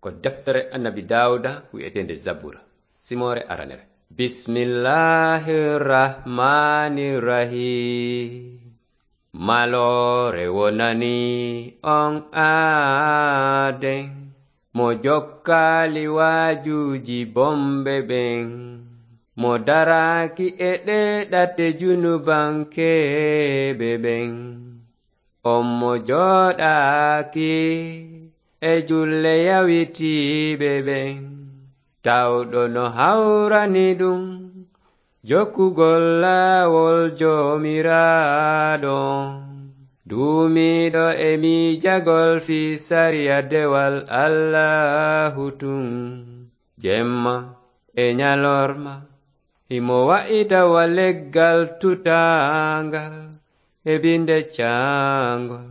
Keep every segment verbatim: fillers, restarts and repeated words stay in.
Ko deftere Annabi Daawuda wi'eteende Zabura, simoore aranere. Bismillahir Rahmanir Rahim. Maloore wonani on aaden, mo jokkaali waajuuji bonɓe ɓen, mo daraaki e ɗee ɗate junubankeeɓe ɓen. On mo jooɗaaki e julle yawitiiɓe ɓen, tawɗo no hawrani ɗum jokkugol laawol Joomiraaɗo. Duumiiɗo e miijagol fii sariya dewal Allaahu tun, jemma e ñalorma, himo wa'ita wa leggal tutaangal e binde caangol,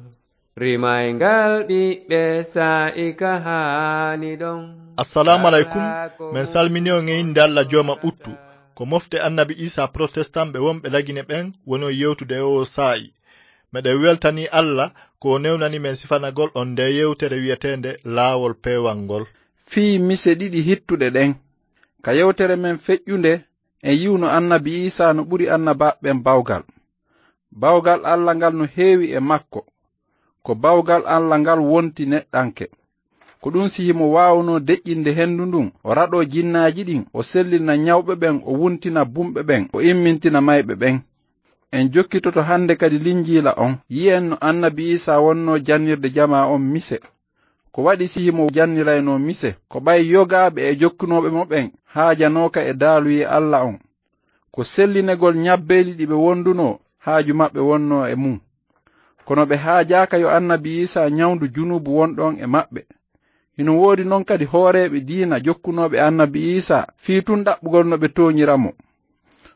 rimayngal ɓiɓɓe saa'i ka haani ɗon. Assalaamu aleykum. Men salmini on e innde Alla Jooma ɓuttu. Ko mofte Annabi Iisaa protestant ɓe wonɓe Lagine ɓen woni on yewtude e oo saa'i. Meɗen weltanii Alla ko o newnani men sifanagol on ndee yewtere wi'eteende Laawol Peewal ngol. Fii mise ɗiɗi hittuɗe ɗen. Ka yewtere men feƴƴunde, en yi'uno Annabi Iisaa no ɓuri annabaaɓe ɓen bawgal. Bawgal Alla ngal no heewi e makko. Ko bawgal Alla ngal wonti neɗɗanke. Ko ɗun si himo waawunoo deƴƴinde hendu ndun, o raɗoo jinnaaji ɗin, o sellina ñawɓe ɓen, o wuntina bumɓe ɓen, o immintina mayɓe ɓen. En jokkitoto hande kadi Linjiila on, yi'en no Annabi Iisaa wonnoo jannirde jamaa on mise. Ko waɗi si himo janniraynoo mise? Ko ɓay yogaaɓe e jokkunooɓe mo ɓen haajanooka e daaluyee Alla on. Ko sellinegol ñabbeeli ɗi ɓe wondunoo haaju maɓɓe wonnoo e mun. Kono ɓe haajaaka yo Annabi Iisaa ñawndu junuubu wonɗo on e maɓɓe. Hino woodi non kadi hooreeɓe diina jokkunooɓe Annabi Iisaa fii tun ɗaɓɓugol no ɓe tooñira mo.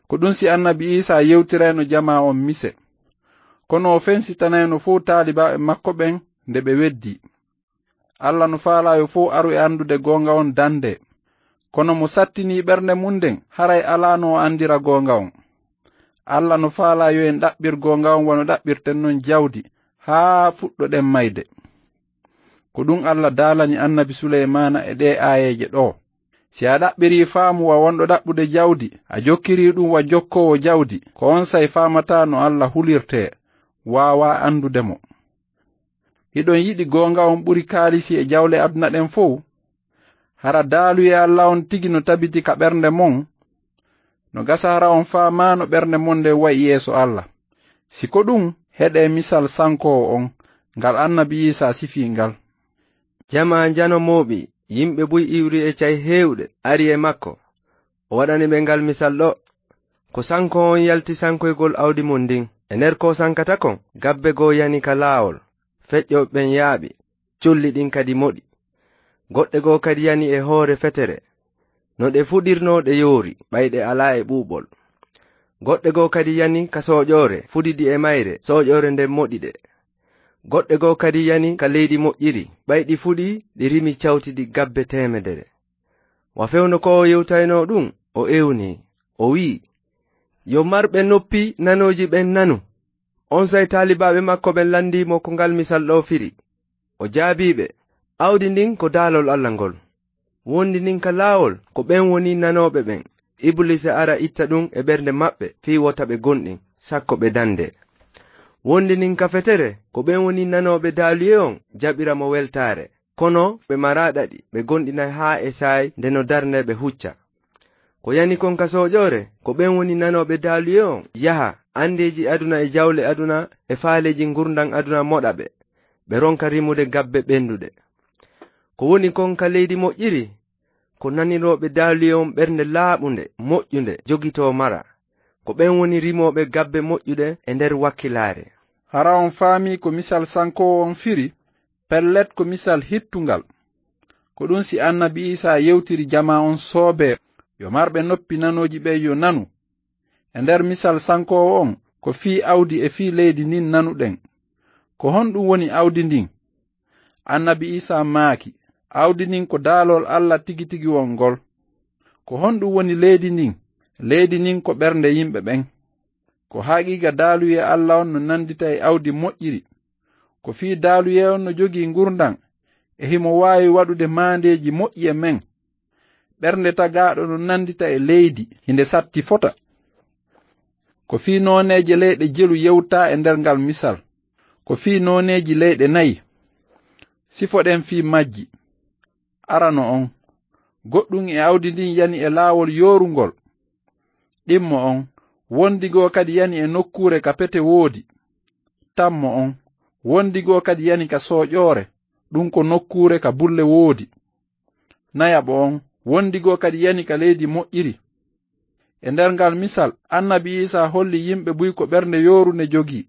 Ko ɗun si Annabi Iisaa yewtirayno jamaa on mise. Kono o fensitanayno fow taalibaaɓe makko ɓen nde ɓe weddii. Alla no faalaa yo fow aru e anndude goonga on dande. Kono mo sattinii ɓernde mun nden, haray alaano o anndira goonga on. Alla no faalaa yo en ɗaɓɓir goonga on wano ɗaɓɓirten non jawdi, haa fuɗɗoɗen mayde. Ko ɗun Alla daalani Annabi Suleymaana e ɗee aayeeje ɗoo. Si a ɗaɓɓirii faamu wa wonɗo ɗaɓɓude jawdi, a jokkirii ɗun wa jokkoowo jawdi, ko onsay faamataa no Alla hulirtee, waawaa anndude mo. Hiɗon yiɗi goonga on ɓuri kaalisi e jawle aduna ɗen fow? Hara daaluyee Alla on tigi no tabiti ka ɓernde mon? No gasa hara on faamaano ɓernde mon nden wa'i yeeso Alla. Si ko ɗun, heɗee misal sankoowo on, ngal Annabi Iisaa sifii ngal. Jamaa njano mooɓi, yimɓe buy iwri e cay heewɗe, ari e makko. O waɗani ɓe ngal misal ɗoo. Ko sankoowo on yalti sankoygol awdi mun ndin. E nder ko o sankata kon, gabbe goo yani ka laawol, feƴƴooɓe ɓen yaaɓi, colli ɗin kadi moɗi. Goɗɗe goo kadi yani e hoore fetere. No ɗe fuɗirnoo ɗe yoori, ɓay ɗe alaa e ɓuuɓol. Goɗɗe goo kadi yani ka sooƴoore, fuɗidi e mayre, sooƴoore nden moɗi ɗe. Goɗɗe goo kadi yani ka leydi moƴƴiri, ɓay ɗi fuɗii, ɗi rimi cawtidi gabbe teemedere. Wa fewndo ko o yewtaynoo ɗun, o ewnii, o wi'i, "Yo marɓe noppi nanooji ɓen nanu." Onsay taalibaaɓe makko ɓen landii mo ko ngal misal ɗoo firi. O jaabii ɓe, "Awdi ndin ko daalol Alla ngol. Wondi ndin ka laawol, ko ɓen woni nanooɓe ɓen. Ibuliisa ara itta ɗun e ɓernde maɓɓe fii wota ɓe gomɗin, sakko ɓe dandee. Wondi ndin ka fetere, ko ɓen woni nanooɓe daaluyee on jaɓira mo weltaare. Kono ɓe maraa ɗaɗi, ɓe gomɗinay haa e saa'i nde no darnee ɓe hucca. Ko yani kon ka sooƴoore, ko ɓen woni nanooɓe daaluyee on yaha, andeeji aduna e jawle aduna e faaleeji ngurndan aduna moɗa ɓe, ɓe ronka rimude gabbe ɓenduɗe. Ko woni kon ka leydi moƴƴiri, ko nanirooɓe daaluyee on ɓernde laaɓunde, moƴƴunde, jogitoo mara. Ko ɓen woni rimooɓe gabbe moƴƴuɗe e nder wakkilaare." Hara on faamii ko misal sankoowo on firi? Pellet, ko misal hittungal. Ko ɗun si Annabi Iisaa yewtiri jamaa on soobee, "Yo marɓe noppi nanooji ɓen yo nanu." E nder misal sankoowo on, ko fii awdi e fii leydi ndin nanuɗen. Ko honɗun woni awdi ndin? Annabi Iisaa maaki, "Awdi ndin ko daalol Alla tigi tigi on ngol." Ko honɗun woni leydi ndin? Leydi ndin ko ɓernde yimɓe ɓen. Ko haqiiqa daaluyee Alla on no nandita e awdi moƴƴiri. Ko fii daaluyee on no jogii ngurndan, e himo waawi waɗude maandeeji moƴƴi e men. Ɓernde tagaaɗo no nanndita e leydi, hinde satti fota. Ko fii nooneeje leyɗe jelu yewtaa e nder ngal misal. Ko fii nooneeji leyɗe nayi. Sifoɗen fii majji. Arano on. Goɗɗum e awdi ndin yani e laawol yoorungol. Ɗimmo on. Wondi goo kadi yani e nokkuure ka pete woodi. Tammo on. Wondi goo kadi yani ka sooƴoore. Ɗum ko nokkuure ka bulle woodi. Nayaɓo on. Wondi goo kadi yani ka leydi moƴƴiri. E nder ngal misal, annabi Iisaa holli yimɓe buy ko ɓernde yoorunde jogii.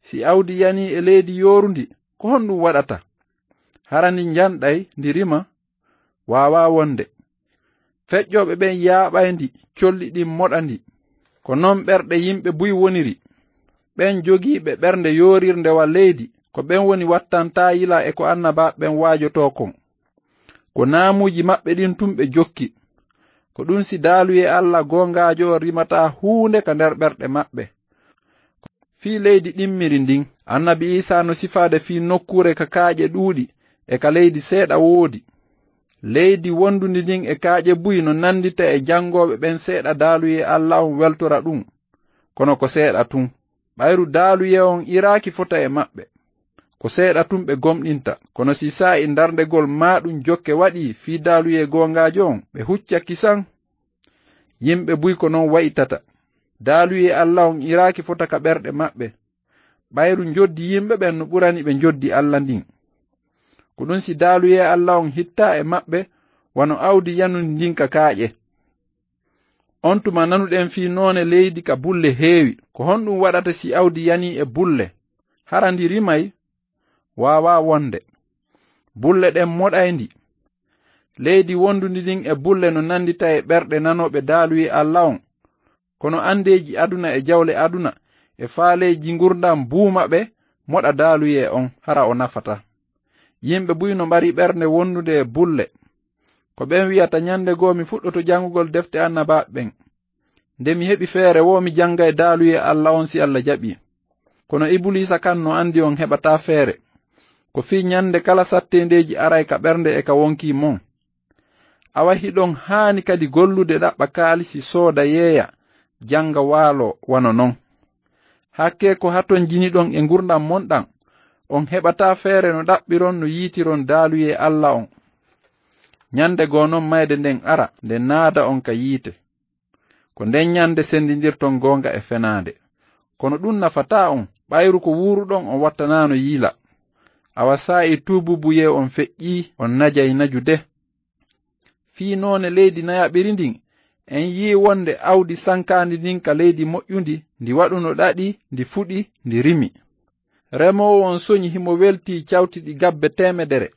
Si awdi yanii e leydi yoorundi, ko honɗum waɗata? Hara ndi njanɗay, ndi rima? Waawaa wonde. Feƴƴooɓe ɓen yaaɓay ndi, colli ɗin moɗa ndi. Ko non ɓerɗe yimɓe buy woniri. Ɓen jogiiɓe ɓernde yoorirnde wa leydi, ko ɓen woni wattantaa yila e ko annabaaɓe ɓen waajotoo kon. Ko naamuuji maɓɓe ɗin tun ɓe jokki. Ko ɗun si daaluyee Alla goongaajo on rimataa huunde ka nder ɓerɗe maɓɓe. Fii leydi ɗimmiri ndin, annabi Iisaa no sifaade fii nokkuure ka kaaƴe ɗuuɗi e ka leydi seeɗa woodi. Leydi wondundi ndin e kaaƴe buy no nanndita e janngooɓe ɓen seeɗa daaluyee Alla on weltora ɗun. Kono ko seeɗa tun. Ɓayru daaluyee on iraaki fota e maɓɓe. Ko seeɗa tun ɓe gomɗinta, kono si saa'i ndarndegol maaɗun jokke waɗii fii daaluyee goongaajo on, ɓe hucca kisan. Yimɓe buy ko non wa'itata. Daaluyee Alla on iraaki fota ka ɓerɗe maɓɓe. Ɓayru njoddi yimɓe ɓen no ɓurani ɓe njoddi Alla ndin. Ko ɗun si daaluyee Alla on hittaa e maɓɓe, wano awdi yanundi ndin ka kaaƴe. On tuma nanuɗen fii noone leydi ka bulle heewi. Ko honɗum waɗata si awdi yanii e bulle? Hara ndi rimay? Waawaa wonde. Bulle ɗen moɗay ndi. Leydi wondundi ndin e bulle no nanndita e ɓerɗe nanooɓe daaluyee Alla on. Kono anndeeji aduna e jawle aduna e faaleeji ngurndan buuma ɓe moɗa daaluyee on, hara o nafataa. Yimɓe buy no mari ɓernde wondunde e bulle. Ko ɓen wi'ata, "Ɲande goo mi fuɗɗoto janngugol defte annabaaɓe ɓen. Nde mi heɓi feere woo, mi janngay daaluyee Alla on si Alla jaɓii." Kono Ibuliisa kan no anndi on heɓataa feere. Ko fii ɲande kala satteendeeji aray ka ɓernde e ka wonkii mon. Awa hiɗon haani kadi gollude ɗaɓɓa kaalisi sooda yeeya, jannga waaloo wano non. Hakkee ko hatonjiniɗon e ngurndan mon ɗan, on heɓataa feere no ɗaɓɓiron no yiitiron daaluyee Alla on. Ɲande goo non mayde nden ara, nde naada on ka yiite. Ko nden ɲande senndindirton goonga e fenaande. Kono ɗun nafataa on, ɓayru ko wuuruɗon on wattanaano yiila. Awa saa'i tuubuubuyee on feƴƴii, on najay najude. Fii noone leydi nayaɓiri ndin, en yi'i wonde awdi sankaandi ndin ka leydi moƴƴundi, ndi waɗuno ɗaɗi, ndi fuɗi, ndi rimi. Remoowo on soɲi himo weltii cawtiɗi gabbe teemedere.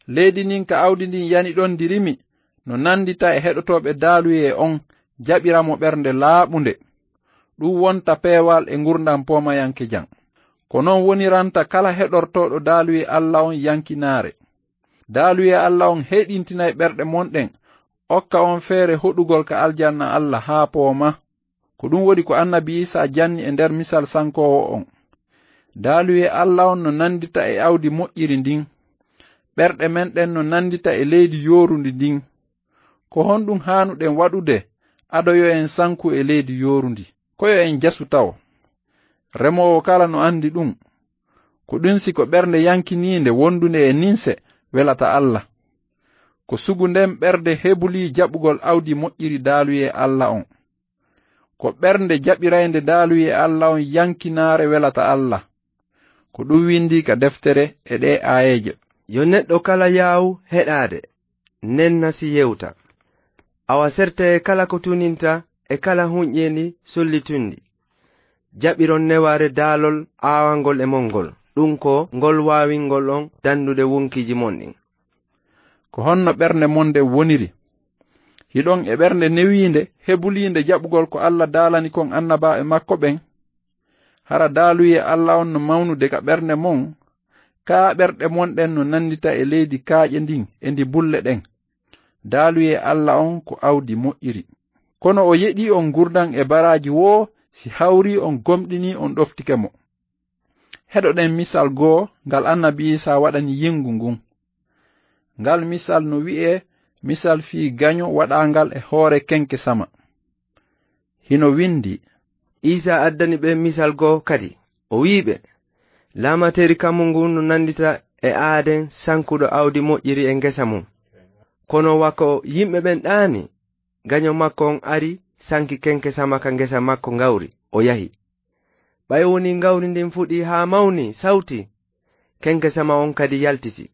Leydi ndin ka awdi ndin yani ɗon ndi rimi, no nanndita e heɗotooɓe daaluyee on, jaɓira mo ɓernde laaɓunde. Ɗun wonta peewal e ngurndan poomayankejan. Ko non woniranta kala heɗortooɗo daaluyee Alla on yankinaare. Daaluyee Alla on heyɗintinay ɓerɗe mon ɗen, okka on feere hoɗugol ka aljanna Alla haa pooma. Ko ɗun waɗi ko annabi Iisaa janni e nder misal sankoowo on. Daaluyee Alla on no nanndita e awdi moƴƴiri ndin. Ɓerɗe men ɗen no nanndita e leydi yoorundi ndin. Ko honɗun haanuɗen waɗude ado yo en sanku e leydi yoorundi? Ko yo en jasu tawo. Remoowo kala no anndi ɗun. Ko ɗun si ko ɓernde yankiniinde wondunde e ninse welata Alla. Ko sugu nden ɓernde hebulii jaɓugol awdi moƴƴiri daaluyee Alla on. Ko ɓernde jaɓiraynde daaluyee Alla on yankinaare welata Alla. Ko ɗun windii ka deftere e ɗee aayeeje. Yo neɗɗo kala yaawu heɗaade, nenna si yewta. Awa sertee kala ko tuninta e kala hunƴeendi sollitundi. Jaɓiron newaare daalol aawangol e mon ngol. Ɗun ko ngol waawingol on danndude wonkiiji mon ɗin. Ko honno ɓernde mon nden woniri? Hiɗon e ɓernde newiinde, hebuliinde jaɓugol ko Alla daalani kon annabaaɓe makko ɓen? Hara daaluyee Alla on no mawnude ka ɓernde mon? Kaa ɓerɗe mon ɗen no nanndita e leydi kaaƴe ndin e ndi bulle ɗen? Daaluyee Alla on ko awdi moƴƴiri. Kono o yeɗii on ngurndan e baraaji woo si hawrii on gomɗinii on ɗoftike mo. Heɗoɗen misal goo ngal annabi Iisaa waɗani yingu ngun. Ngal misal no wi'ee misal fii gaño waɗaangal e hoore kenkesama. Hino windi, Iisaa addani ɓe misal goo kadi, o wi'i ɓe, "Laamateeri kammu ngun no nanndita e aaden sankuɗo awdi moƴƴiri e ngesa mum. Kono wa ko yimɓe ɓen ɗaani, gaño makko on ari, sanki kenkesama ka ngesa makko ngawri, o yahi. Ɓay wonii ngawri ndin fuɗii haa mawnii, sawtii, kenkesama on kadi yaltiti.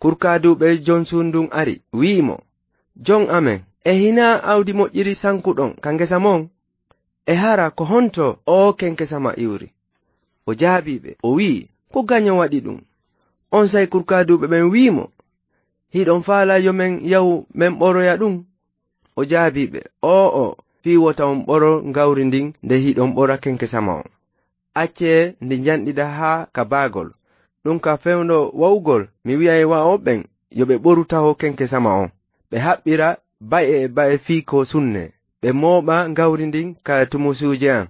Kurkaaduuɓe jon suudu ndun ari, wi'i mo, 'Jon amen, e hinaa awdi moƴƴiri sankuɗon ka ngesa mon? E hara ko honto oo kenkesama iwri?' O jaabii ɓe, o wi'i, 'Ko gaño waɗi ɗun.' Onsay kurkaaduuɓe ɓen wi'i mo, 'Hiɗon faalaa yo men yahu men ɓoroya ɗun?' O jaabii ɓe, 'Oo'o, fii wota on ɓoro ngawri ndin nde hiɗon ɓora kenkesama on. Accee ndi njanɗida haa ka baagol. Ɗun ka fewndo wa'ugol, mi wi'ay wa'ooɓe ɓen yo ɓe ɓoru taho kenkesama on, ɓe haɓɓira ba'e e ba'e fii ko sunnee, ɓe mooɓa ngawri ndin ka tumusuuje an.'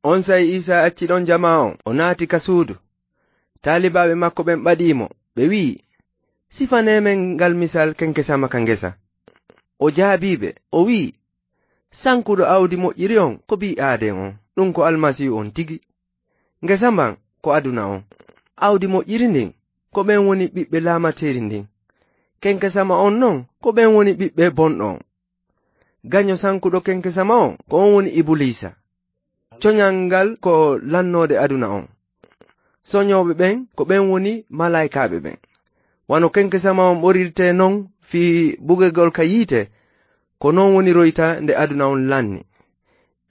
Onsay Iisaa acci ɗon jamaa on, o naati ka suudu. Taalibaaɓe makko ɓen ɓadii mo, ɓe wi'i, 'Sifanee men ngal misal kenkesama ka ngesa.' O jaabii ɓe, o wi'i, 'Sankuɗo awdi moƴƴiri on ko ɓii aaden on, ɗun ko Almasiihu on tigi. Ngesa mban ko aduna on. Awdi moƴƴiri ndin, ko ɓen woni ɓiɓɓe laamateeri ndin. Kenkesama on non, ko ɓen woni ɓiɓɓe bonɗo on. Gaño sankuɗo kenkesama on, ko on woni Ibuliisa. Coñal ngal ko lannoode aduna on. Soñooɓe ɓen, ko ɓen woni malaa'ikaaɓe ɓen. Wano kenkesama on ɓorirtee non fii bugegol ka yiite, ko non woniroyta nde aduna on lanni.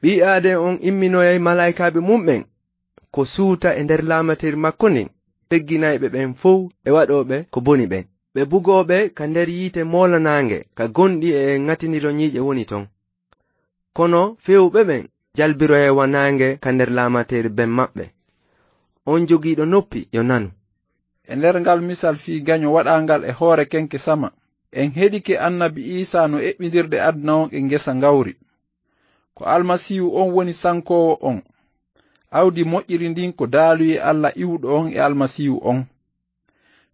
Ɓii aaden on imminoyay malaa'ikaaɓe mun ɓen ko suuta e nder laamateeri makko ndin, pegginayɓe ɓen fow e waɗooɓe ko boni ɓen. Ɓe bugooɓe ka nder yiite moolanaange ka gonɗi e ŋatindiro ɲiiƴe woni ton. Kono fewuɓe ɓen jalbiroyay wa naange ka nder laamateeri ben maɓɓe. On jogiiɗo noppi, yo nanu. E nder ngal misal fii gaɲo waɗaangal e hoore kenkesama, en heɗike Annabi Iisaa no eɓɓindirde aduna on e ngesa ngawri. Ko Almasiihu on woni sankoowo on. Awdi moƴƴiri ndin ko daaluyee Alla iwuɗo on e Almasiihu on.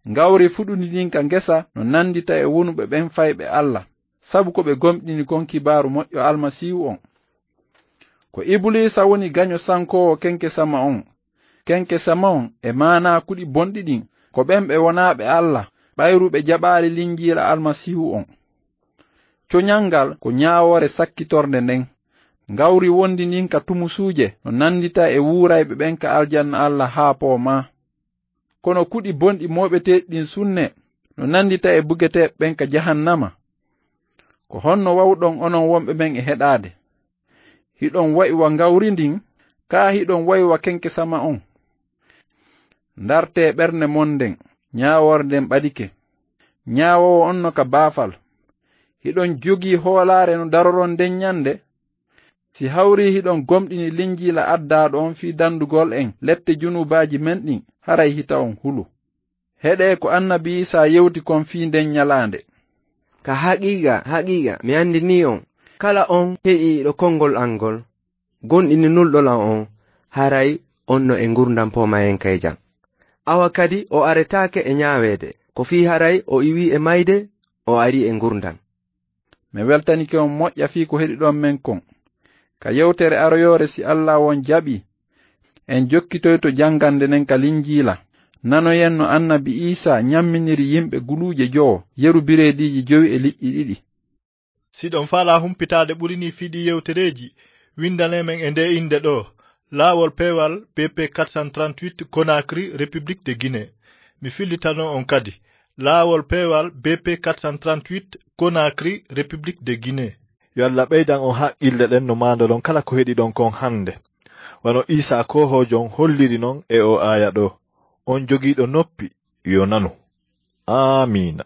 Ngawri fuɗundi ndin ka ngesa no nandita e wonuɓe ɓen fayɓe Alla, sabu ko ɓe gomɗini kon kibaaru moƴƴo Almasiihu on. Ko Ibuliisa woni gaɲo sankoowo kenkesama on. Kenkesama on e maanaa kuɗi bonɗi ɗin, ko ɓen ɓe wonaaɓe Alla, ɓayru ɓe jaɓaali Linjiila Almasiihu on. Coɲal ngal ko ɲaawoore sakkitornde nden. Ngawri wondi ndin ka tumusuuje no nandita e wuurayɓe ɓen ka aljanna Alla haa poomaa. Kono kuɗi bonɗi mooɓeteeɗi ɗin sunne no nandita e bugeteeɓe ɓen ka jahannama. Ko honno wawɗon onon wonɓe men e heɗaade? Hiɗon wa'i wa ngawri ndin, kaa hiɗon wa'i wa kenkesama on? Ndartee ɓernde mon nden, ɲaawoore nden ɓadike. Ɲaawoowo on no ka baafal. Hiɗon jogii hoolaare no daroron nden ɲande? Si hawrii hiɗon gomɗini Linjiila addaaɗo on fii dandugol en lette junuubaaji men ɗin, haray hita on hulu. Heɗee ko Annabi Iisaa yewti kon fii nden ɲalaande. Ka haqiiqa, haqiiqa, mi andinii on, kala on heɗiiɗo konngol an ngol, gomɗini Nulɗo lan on, haray on no e ngurndan poomayenkayjan. Awa kadi o aretaake e ɲaaweede, ko fii haray o iwii e mayde, o arii e ngurndan. Mi weltanike on moƴƴa fii ko heɗiɗon men kon. Ka yewtere aroyoore, si Alla on jaɓii, en jokkitoyto janngande nden ka Linjiila. Nanoyen no Annabi Iisaa ɲamminiri yimɓe guluuje jowo yeru bireediiji jowi e liƴƴi ɗiɗi. Si ɗon faalaa humpitaade ɓuri nii fii ɗii yewtereeji, winndanee men e ndee innde ɗoo, Laawol Peewal B P quatre cent trente-huit, Conakry, République de Guinée. Mi fillitano on kadi, Laawol Peewal B P quatre cent trente-huit, Conakry, République de Guinée. Yo Alla ɓeydan on haqqille ɗen no maandoɗon kala ko heɗiɗon kon hannde. Wano Iisaa Koohoojo on holliri non e oo aaya ɗoo, on jogiiɗo noppi, yo nanu. Aamiina.